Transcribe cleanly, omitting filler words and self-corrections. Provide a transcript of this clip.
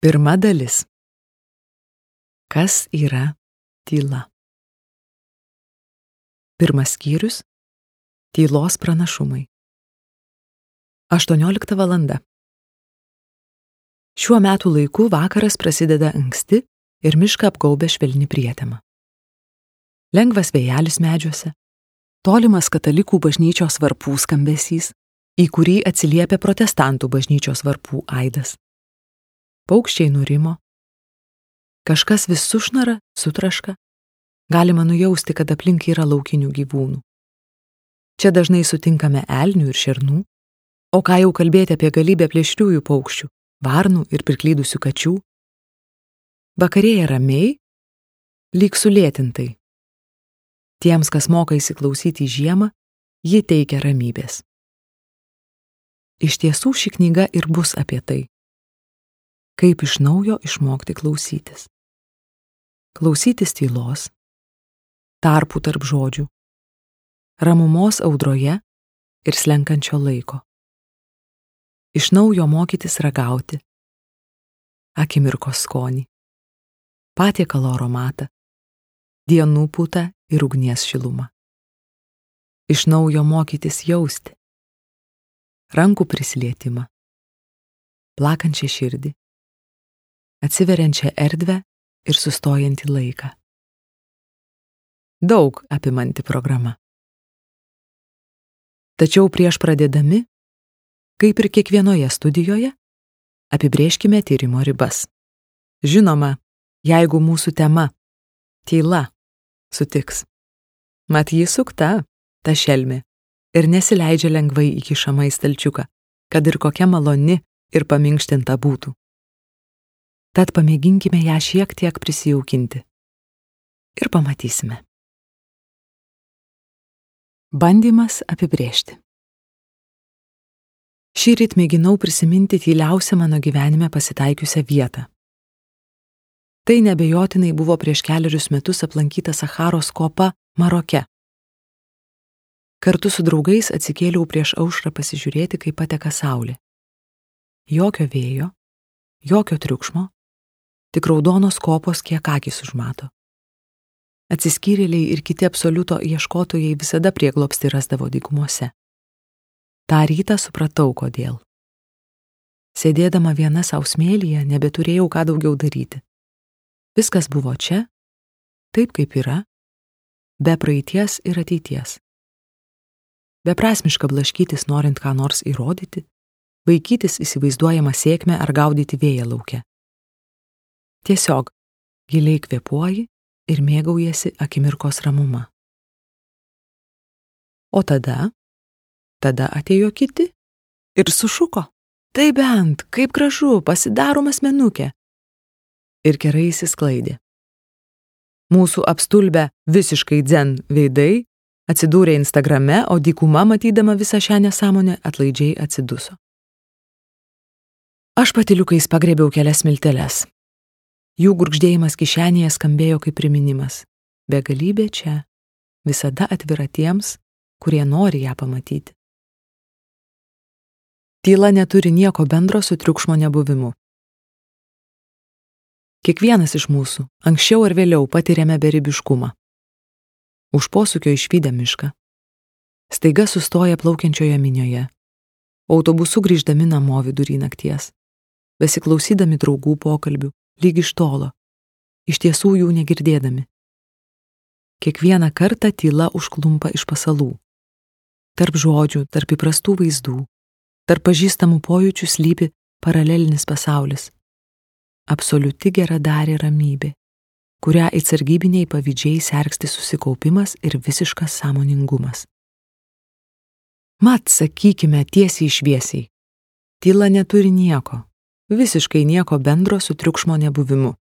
Pirma dalis. Kas yra tyla? Pirmas skyrius – tylos pranašumai. 18 valanda. Šiuo metų laiku vakaras prasideda anksti ir mišką apgaubia švelni prietema. Lengvas vėjelis medžiuose, tolimas katalikų bažnyčios varpų skambesys, į kurį atsiliepia protestantų bažnyčios varpų aidas. Paukščiai nurimo, kažkas vis sušnara, sutraška, galima nujausti, kad aplink yra laukinių gyvūnų. Čia dažnai sutinkame elnių ir šernų, o ką jau kalbėti apie galybę plėšriųjų paukščių, varnų ir priklydusių kačių. Vakarėja ramiai, lyg sulėtintai. Tiems, kas moka įsiklausyti į žiemą, ji teikia ramybės. Iš tiesų ši knyga ir bus apie tai. Kaip iš naujo išmokti klausytis. Klausytis tylos, tarpų tarp žodžių, ramumos audroje ir slenkančio laiko. Iš naujo mokytis ragauti, akimirkos skonį, patiekalo aromatą, dienų pūtą ir ugnies šilumą. Iš naujo mokytis jausti, rankų prisilietimą, plakančią širdį, atsiveriančią erdvę ir sustojantį laiką. Daug apimanti programa. Tačiau prieš pradėdami, kaip ir kiekvienoje studijoje, apibrėžkime tyrimo ribas. Žinoma, jeigu mūsų tema tyla sutiks. Mat ji sukta, ta šelmė, ir nesileidžia lengvai įkišama į stalčiuką, kad ir kokia maloni ir paminkštinta būtų. Tad pamėginkime ją šiek tiek prisijaukinti. Ir pamatysime. Bandymas apibrėžti. Šįryt mėginau prisiminti tyliausią mano gyvenime pasitaikiusią vietą. Tai neabejotinai buvo prieš kelerius metus aplankyta Sacharos kopa Maroke. Kartu su draugais atsikėliau prieš aušrą pasižiūrėti, kaip pateka saulė. Jokio vėjo, jokio triukšmo, tik raudonos kopos kiek akys užmato. Atsiskyrėliai ir kiti absoliuto ieškotojai visada prieglobstį rasdavo dykumose. Ta rytą supratau, kodėl. Sėdėdama viena sau smėlyje, nebeturėjau ką daugiau daryti. Viskas buvo čia, taip kaip yra, be praeities ir ateities. Beprasmiška blaškytis norint ką nors įrodyti, vaikytis įsivaizduojamą sėkmę ar gaudyti vėją lauke. Tiesiog giliai kvėpuoji ir mėgaujasi akimirkos ramuma. O tada atėjo kiti ir sušuko. Tai bent, kaip gražu, pasidarom asmenukė. Ir kerai įsisklaidė. Mūsų apstulbę visiškai dzen veidai atsidūrė Instagrame, o dykuma, matydama visą šią nesąmonę, atlaidžiai atsiduso. Aš patyliukais pagrėbiau kelias milteles. Jų gurgždėjimas kišenėje skambėjo kaip priminimas. Begalybė čia, visada atvira tiems, kurie nori ją pamatyti. Tyla neturi nieko bendro su triukšmo nebuvimu. Kiekvienas iš mūsų, anksčiau ar vėliau, patiriame beribiškumą. Už posūkio išvydę mišką. Staiga sustoja plaukiančioje minioje. Autobusu grįždami namo vidury nakties. Besiklausydami draugų pokalbių, lyg iš tolo, iš tiesų jų negirdėdami. Kiekvieną kartą tyla užklumpa iš pasalų. Tarp žodžių, tarp įprastų vaizdų, tarp pažįstamų pojūčių slypi paralelinis pasaulis. Absoliuti geradarė ramybė, kurią į sargybiniai pavydžiai sergsti susikaupimas ir visiškas sąmoningumas. Mat, sakykime tiesiai šviesiai, tyla neturi nieko, visiškai nieko bendro su triukšmo nebuvimu.